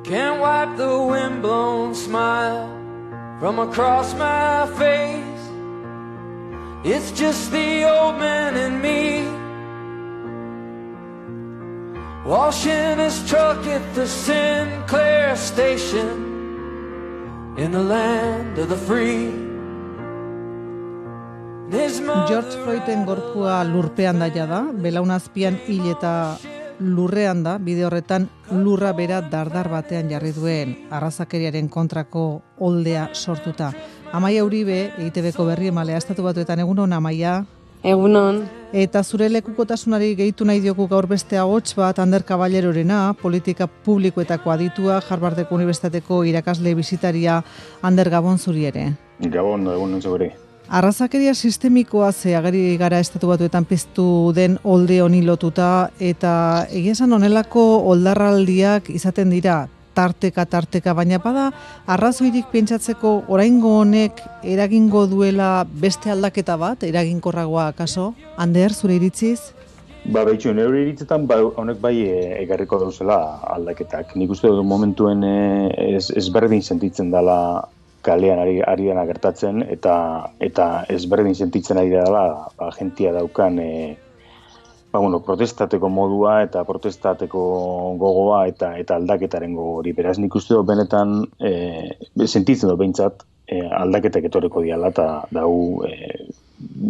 Can't wipe the windblown smile from across my face. It's just the old man and me, washing his truck at the Sinclair station in the land of the free. George Floyden gorpua lurpean daia da, belaunazpian hil eta lurrean da, bide horretan lurra bera dardar batean jarri duen arrazakeriaren kontrako oldea sortuta. Amaia Uribe, EITB-ko berri emalea Estatu Batuetan, egunon, Amaia? Egunon. Eta zure lekukotasunari gehitu nahi diogu gaur beste ahots bat, Ander Caballerorena, politika publikoetako aditua, Harvardeko Unibertsitateko irakasle bisitaria. Ander, gabon zuri ere. Gabon, egunon zure. Arrazakeria sistemikoa ageri gara Estatu Batuetan piztu den olde honi lotuta, eta egia esan honelako oldarraldiak izaten dira tarteka, baina bada arrazoirik pentsatzeko oraingo honek eragingo duela beste aldaketa bat, eraginkorragoa akaso? Ander, zure iritziz? Behitxu, nire iritzetan honek bai egarriko dauzela aldaketak. Nik uste dut momentuen ezberdin sentitzen dela kalean ari dena gertatzen, eta ezberdin sentitzen ari dela jentia daukan protestateko modua eta protestateko gogoa eta aldaketaren gogori. Beraz, nik uste dut benetan sentitzen dut behintzat aldaketak etorreko diala, eta dau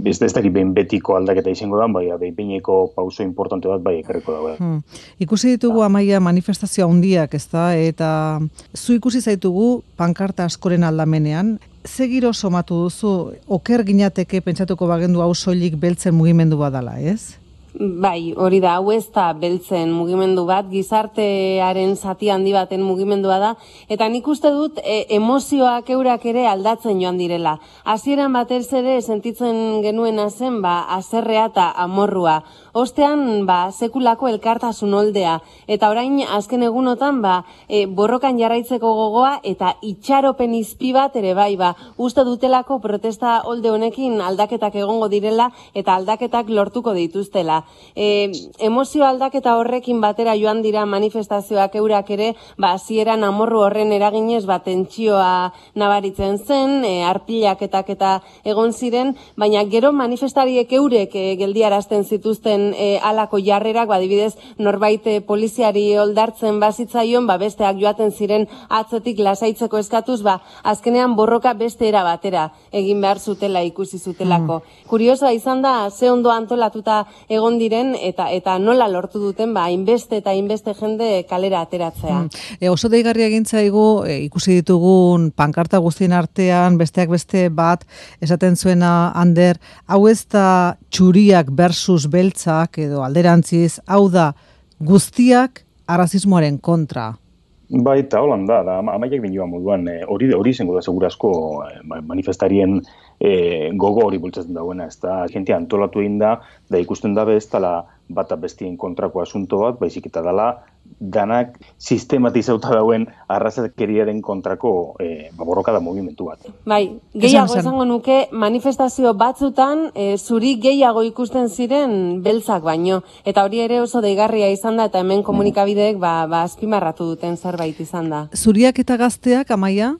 ez dakit behin betiko aldaketa izango da, bai behineko pauso importante bat bai ekarriko dago. Ikusi ditugu, Amaia, manifestazioa handiak, ezta, eta zu ikusi zaitugu pankarta askoren aldamenean. Ze giro somatu duzu, oker ginateke pentsatuko bagendu hau soilik beltzen mugimendu badala, ez? Bai, hori da, hau ez da beltzen mugimendu bat, gizartearen zati handi baten mugimendua da, eta nik uste dut emozioak eurak ere aldatzen joan direla. Hasieran batez ere sentitzen genuena zen, haserrea eta amorrua. Ostean, sekulako elkartasun oldea, eta orain azken egunotan, borrokan jarraitzeko gogoa eta itxaropen izpi bat ere bai, uste dutelako protesta olde honekin aldaketak egongo direla eta aldaketak lortuko dituztela. Emozio aldaketa horrekin batera joan dira manifestazioak eurak ere, hasieran amorru horren eraginez tentsioa nabaritzen zen, arpilaketak eta egon ziren, baina gero manifestariek eurek geldiarazten zituzten halako jarrerak, adibidez norbait poliziari oldartzen bazitzaion, besteak joaten ziren atzetik lasaitzeko eskatuz, azkenean borroka beste era batera egin behar zutela ikusi zutelako. Kuriosoa izan da, ze ondo antolatuta egon diren eta nola lortu duten hainbeste eta hainbeste jende kalera ateratzea. Oso deigarria egin zaigu ikusi ditugun pankarta guztien artean besteak beste bat esaten zuena, Ander, hau ez da txuriak versus beltzak edo alderantziz, hau da guztiak arrazismoaren kontra. Bai, eta holan da, amaiak dinioa moduan, hori izango da segurazko manifestarien gogo hori bultzatzen dagoena, ez da, jentia antolatu egin da ikusten dabe ez dela bata bestien kontrako asunto bat, baizik eta dela danak sistematizauta dauen arrazakeriaren kontrako borroka da mugimendu bat. Bai, gehiago esango nuke manifestazio batzutan zuri gehiago ikusten ziren beltzak baino, eta hori ere oso deigarria izan da, eta hemen komunikabideek azpimarratu duten zerbait izan da. Zuriak eta gazteak, Amaia?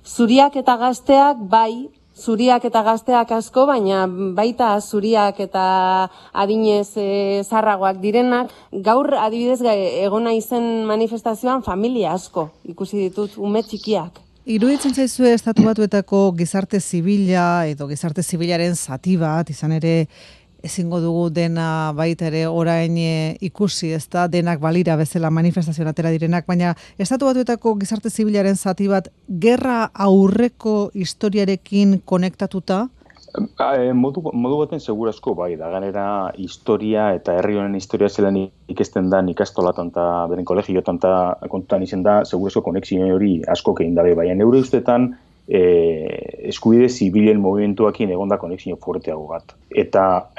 Zuriak eta gazteak, bai, zuriak eta gazteak asko, baina baita zuriak eta adinez zarragoak direnak. Gaur adibidez egona izen manifestazioan familia asko ikusi ditut, ume txikiak. Iruditzen zaizue Estatu Batuetako gizarte zibila edo gizarte zibilaren zati bat, izan ere ezingo dugu dena baita ere orain ikusi, ez da, denak balira bezala manifestazioan atera direnak, baina Estatu Batuetako gizarte zibilaren zati bat gerra aurreko historiarekin konektatuta? Modu baten segurazko bai, da ganera historia eta herri honen historia zelan ikesten da ikastolatan eta beren kolegiotan eta kontutan izen da, segurazko konexio hori asko egin dabe, baina neure ustetan eskubide zibilen movimentuakin egon da konexio fuerteago bat. Eta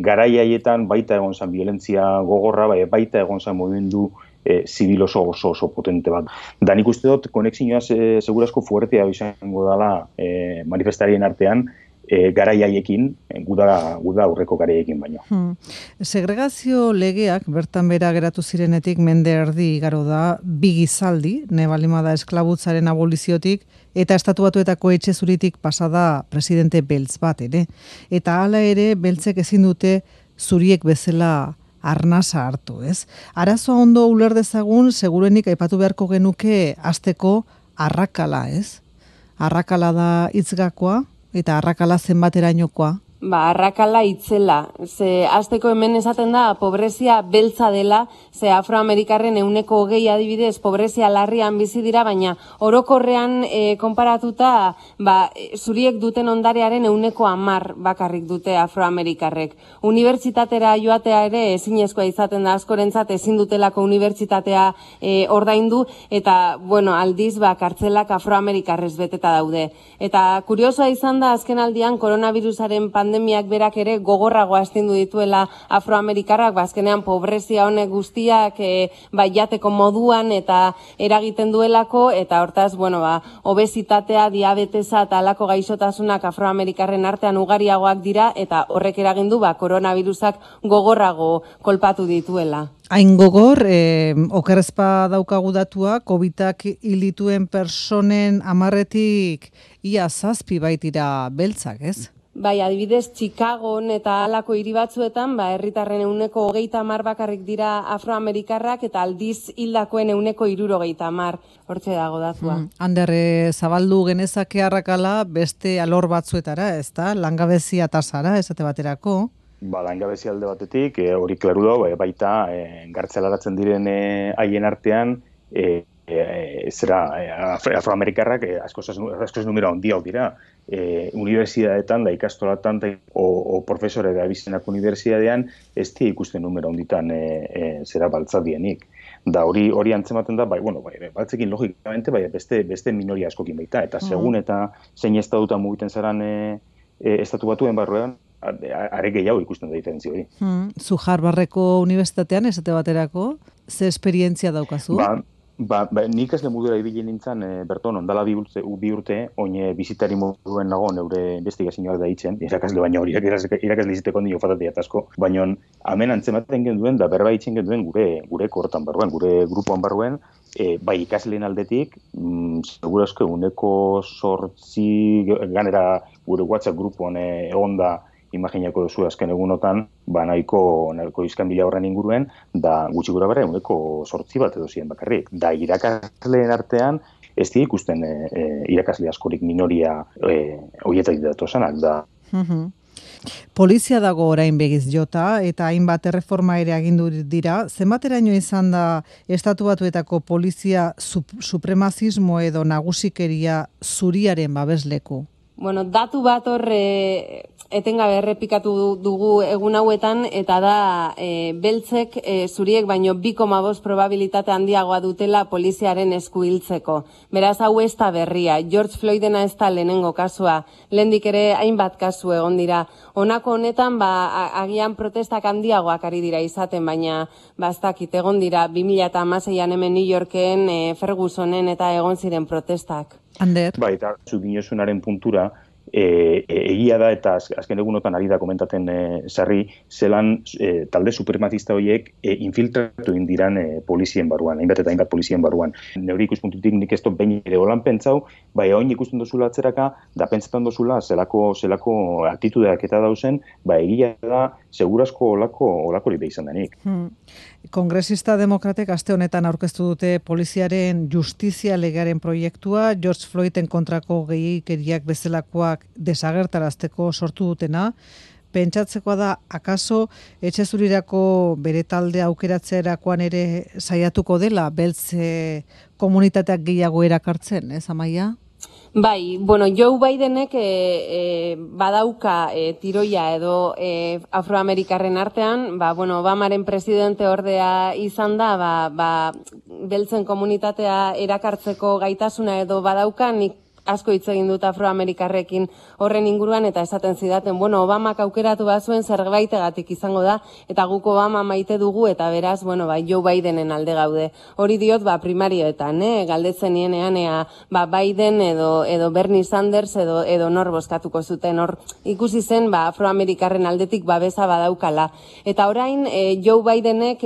garai haietan baita egon zen violentzia gogorra, baita egon zen movimendu zibil oso potente bat. Da nik uste dut konexioa segurazko fuertea izango dela manifestarien artean, garaiaiekin, guda aurreko garaiekin baino. Segregazio legeak bertan bera geratu zirenetik mende erdi igaro da, bi gizaldi, nebalimada esklabutzaren aboliziotik, eta Estatu Batuetako etxe zuritik pasada presidente beltz bat, ere. Eta hala ere, beltzek ezin dute zuriek bezala arnasa hartu, ez? Arazoa ondo uler dezagun, segurenik aipatu beharko genuke hasteko arrakala, ez? Arrakala da hitzgakoa eta arrakala zenbaterainokoa. Arrakala itzela. Ze hasteko hemen esaten da pobrezia beltza dela, ze afroamerikarren 20% adibidez pobrezia larrian bizi dira, baina orokorrean konparatuta zuriek duten ondarearen 10% bakarrik dute afroamerikarrek. Unibertsitatera joatea ere ezinezkoa izaten da askorentzat, ezin dutelako unibertsitatea ordaindu, eta aldiz kartzelak afroamerikarrez beteta daude. Eta kuriosoa izan da azken aldian koronavirusaren pandemiak berak ere gogorragoa astindu dituela afroamerikarrak, azkenean pobrezia honek guztiak jateko moduan eta eragiten duelako, eta hortaz, obesitatea, diabetesa eta alako gaixotasunak afroamerikarren artean ugariagoak dira, eta horrek eragindu koronavirusak gogorrago kolpatu dituela. Hain gogor, okerrezpa daukagu datua, COVID-ak hilituen personen 10-etik ia 7 baitira beltzak, ez? Adibidez, Chicagon eta halako hiri batzuetan, herritarren 20% bakarrik dira afroamerikarrak, eta aldiz hildakoen 60%, hortxe dago datua. Ander, zabaldu genezake arrakala beste alor batzuetara, ez da? Langabezia tasara, esate baterako? Langabezia alde batetik, hori klaru da, baita gartzelaratzen diren haien artean, afroamerikarrak askoz numero handiak dira. Unibertsitateetan, ikastolatan, o profesore da bizenak unibertsitatean, ez di ikusten numero handitan baltzadienik. Da hori antzematen da, baltzekin logikamente, beste minoria askokin baita. Eta segun eta zein estatutan mugiten zaran estatu batuen barruan, are gehiago ikusten da diferentzia hori. Zu Harvardeko unibertsitatean, esate baterako, ze esperientzia daukazu? Nik ikasle modura ibili nintzen, berton, ondala bi urte, oin bizitari moduen nago, neure investigazioak da hitzen, irakasle baina horiak irakasle iziteko ondi ofatatea asko, baina hemen antzematen genduen, da berba hitzen genduen gure kortan barruen, gure grupoan barruen, ikasleen aldetik, segurazko 8% ganera gure WhatsApp grupoan egon da, imaginako duzu azken egunotan, nahiko izkanbila horren inguruen, da gutxi gura bera 8% bat edo ziren bakarrik. Da irakasleen artean, ez di ikusten irakasle askorik minoria horietak datosanak, da. Polizia dago orain begiz jota, eta hainbat erreforma ere agindu dira. Zenbateraino izan da Estatu Batuetako polizia supremazismo edo nagusikeria zuriaren babesleku? Datu bat etengabe errepikatu dugu egun hauetan, eta da beltzek zuriek baino 2,5 probabilitate handiagoa dutela poliziaren esku hiltzeko. Beraz, hau ez da berria. George Floydena ez da lehenengo kasua. Lehendik ere hainbat kasu egon dira. Honako honetan, agian protestak handiagoak ari dira izaten, baina ez dakit egon dira 2016an hemen New Yorken Fergusonen eta egon ziren protestak. Ander? Eta zu dinosunaren puntura, egia da eta azken egunotan ari da komentaten sarri, zelan talde suprematista horiek infiltratu indiran polizien barruan, hainbat eta hainbat polizien barruan. Neuri ikuspuntutik nik ez dut behin ere holan pentsau, oin ikusten dozula atzeraka, da pentsetan dozula zelako atitudeak eta dauzen, egia da segurazko olakori beha izan denik. Kongresista demokratek aste honetan aurkeztu dute poliziaren justizia legearen proiektua, George Floyden kontrako gehiegikeriak bezalakoak desagertarazteko sortu dutena. Pentsatzekoa da, akaso etxe zurirako bere talde aukeratzerakoan ere saiatuko dela, beltz komunitateak gehiago erakartzen, ez Amaia? Joe Bidenek badauka tiroia edo afroamerikarren artean, Obamaren presidente ordea izan da, beltzen komunitatea erakartzeko gaitasuna edo badauka, nik asko hitz egin dut afroamerikarrekin horren inguruan, eta esaten zidaten, bueno, Obamak aukeratu bazuen zerbaitegatik izango da, eta guk Obama maite dugu, eta beraz, bueno, Joe Bidenen alde gaude. Hori diot, primarioetan, galdetzen nienean, Biden edo Bernie Sanders edo nor bozkatuko zuten, hor ikusi zen, afroamerikarren aldetik babesa badaukala. Eta orain, Joe Bidenek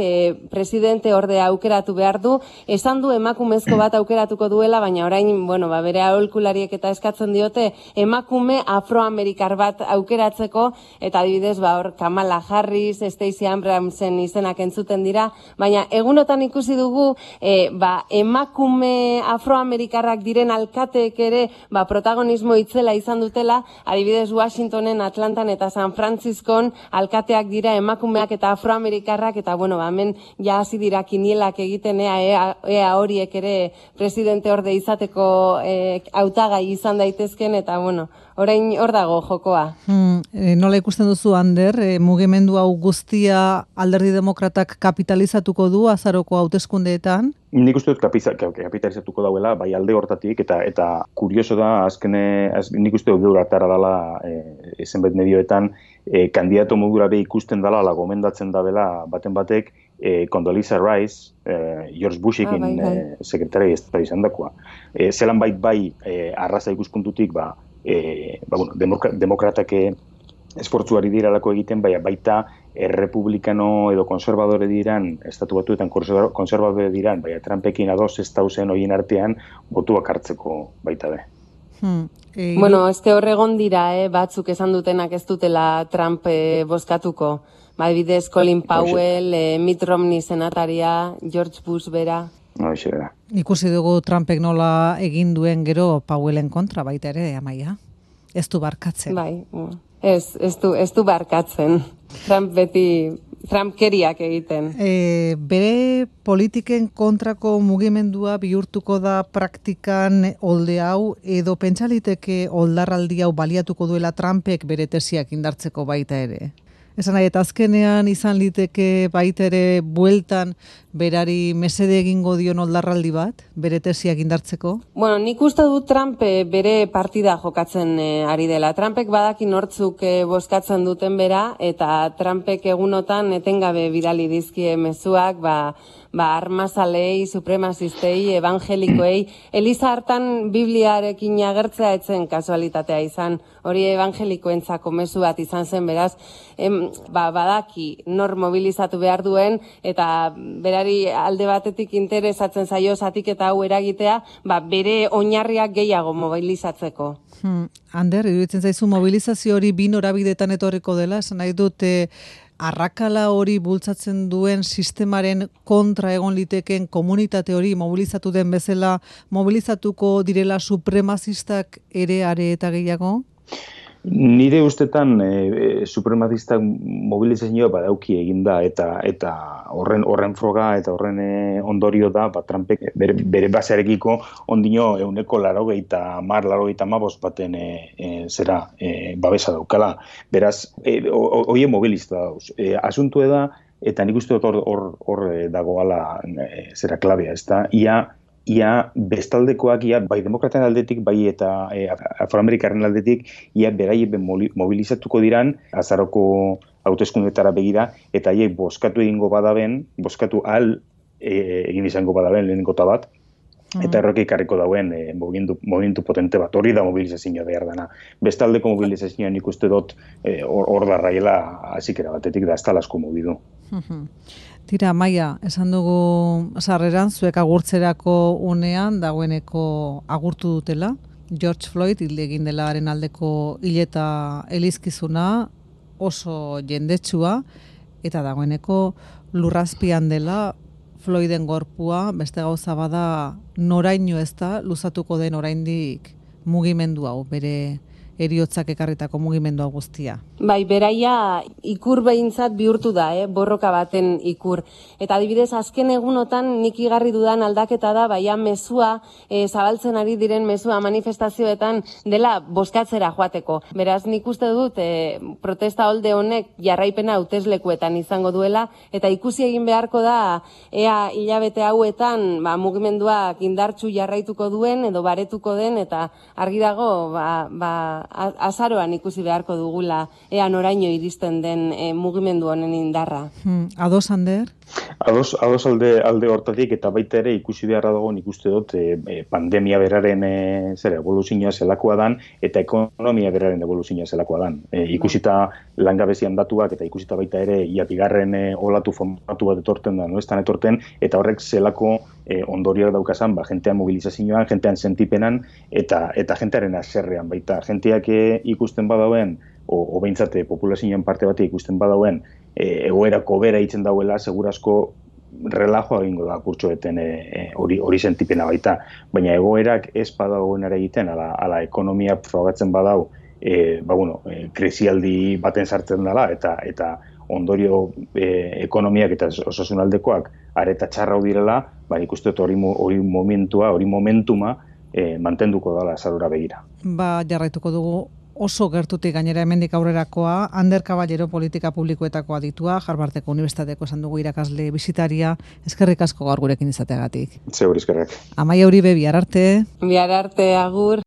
presidente orde aukeratu behar du, esan du emakumezko bat aukeratuko duela, baina orain, bueno, bere aholkulariek eta eskatzen diote emakume afroamerikar bat aukeratzeko, eta adibidez, hor Kamala Harris, Stacey Abramsen izenak entzuten dira, baina egunotan ikusi dugu, emakume afroamerikarrak diren alkateek ere, protagonismo itzela izan dutela, adibidez Washingtonen, Atlantan eta San Franciscon alkateak dira emakumeak eta afroamerikarrak, eta bueno, hemen ja hasi dira kinielak egiten ea horiek ere presidente orde izateko hautagai izan daitezken, eta bueno, orain hor dago jokoa. Nola ikusten duzu, Ander, mugimendu hau guztia Alderdi Demokratak kapitalizatuko du azaroko hauteskundeetan? Nik uste dut kapitalizatuko dauela, bai alde hortatik, eta kurioso da, nik uste dut gaur atara dela zenbait medioetan, kandidato modura be ikusten dela, gomendatzen da bela baten batek, Condoleezza Rice, George Bushekin sekretari estatu izan dakoa. Zelan bai arraza ikuspuntutik, demokratak esfortzuari diralako egiten, baita errepublikano edo konservadore diran, estatu batuetan konservadore diran, Trumpekin ados ez dauzen horien artean, botuak hartzeko baita be. Bueno, horregon dira, batzuk esan dutenak ez dutela Trump bozkatuko. Bidez Colin Powell, Mitt Romney senataria, George Bush bera. Ikusi dugu Trumpek nola egin duen gero Powellen kontra baita ere, Amaia. Ez du barkatzen. Bai, ez du barkatzen. Trump beti Trumpkeriak egiten. Bere politiken kontrako mugimendua bihurtuko da praktikan olde hau, edo pentsaliteke oldarraldi hau baliatuko duela Trumpek bere tesiak indartzeko baita ere? Esan nahi, eta azkenean izan liteke baita ere bueltan berari mesede egingo dion oldarraldi bat, bere tesiak indartzeko? Bueno, nik uste dut Trump bere partida jokatzen ari dela. Trumpek badaki nortzuk bozkatzen duten bera, eta Trumpek egunotan etengabe bidali dizkie mezuak, armazalei, supremazistei, evangelikoei. Eliza hartan Bibliarekin agertzea etzen kasualitatea izan, hori evangelikoentzako mezu bat izan zen, beraz, badaki nor mobilizatu behar duen, eta berari alde batetik interesatzen zaio zatiketa hau eragitea, bere oinarriak gehiago mobilizatzeko. Ander, iruditzen zaizu mobilizazio hori bi norabidetan etorriko dela, esan nahi dute arrakala hori bultzatzen duen sistemaren kontra egon liteken komunitate hori mobilizatu den bezala mobilizatuko direla supremazistak ere are eta gehiago? Nire ustetan supremazistak mobilizazioa badauki eginda eta horren froga eta horren ondorio da Trumpek bere basearekiko ondino 180 baten babesa daukala. Beraz, hoie mobilista dauz. Asuntu da, eta nik uste dut hor dagoala klabea, ez da, ia bestaldekoak, bai demokraten aldetik, bai eta afroamerikarren aldetik, ia beraie mobilizatuko diran, azaroko hauteskundetara begira, eta haiek bozkatu egingo badaben, bozkatu egin izango badaben lehenengo bat, eta erroke ikarriko dauen movimentu potente bat, hori da mobilizazioa behar dana. Bestaldeko mobilizazioa nik uste dut hor darraiela azikera batetik da ez talasko mobidu. Tira, Maia, esan dugu sarreran zuek agurtzerako unean dagoeneko agurtu dutela. George Floyd hilde egin delaren aldeko hileta elizkizuna oso jendetsua, eta dagoeneko lurrazpian dela Floyden gorpua, beste gauza bada noraino ez da luzatuko den oraindik mugimendu hau bere eriotzak ekarritako mugimendua guztia. Bai, beraia ikur behintzat bihurtu da, borroka baten ikur. Eta adibidez, azken egunotan nik igarri dudan aldaketa da, baina mezua, zabaltzen ari diren mezua manifestazioetan dela bozkatzera joateko. Beraz, nik uste dut, protesta holde honek jarraipena hauteslekuetan izango duela, eta ikusi egin beharko da, ea hilabete hauetan mugimenduak indartsu jarraituko duen, edo baretuko den, eta argi dago, azaroan ikusi beharko dugula, ea noraino iristen den mugimendu honen indarra. Ados, Ander? Ados alde hortatik, eta baita ere ikusi beharra dago, nik uste dut pandemia beraren evoluzioa zelakoa dan, eta ekonomia beraren evoluzioa zelakoa dan. Ikusita langabezian datuak, eta ikusita baita ere bigarren olatu formatu bat etorten da, noestan etorten, eta horrek zelako ondorioak daukazan, jentean mobilizazioan, jentean sentipenan, eta jentearen aserrean baita. Jenteak ikusten badauen, o behintzat populazioan parte bat ikusten badauen, egoerako bera itzen dauela, segurazko relajoa egingo da kurtsoeten hori sentipena baita. Baina egoerak ez badagoen ere egiten, ala ekonomia frogatzen badau, krisialdi baten sartzen dela, eta ondorio ekonomiak eta osasunaldekoak areta txarra direla, ikuste dut hori momentuma mantenduko dela azarora begira. Jarraituko dugu oso gertutik gainera hemendik aurrerakoa, Ander Caballero politika publikoetako aditua, Harvardeko Unibertsitateko esan dugu irakasle bisitaria, eskerrik asko gaur gurekin izateagatik. Zeur eskerrak. Amaia Uribe, bihar arte. Bihar arte, agur.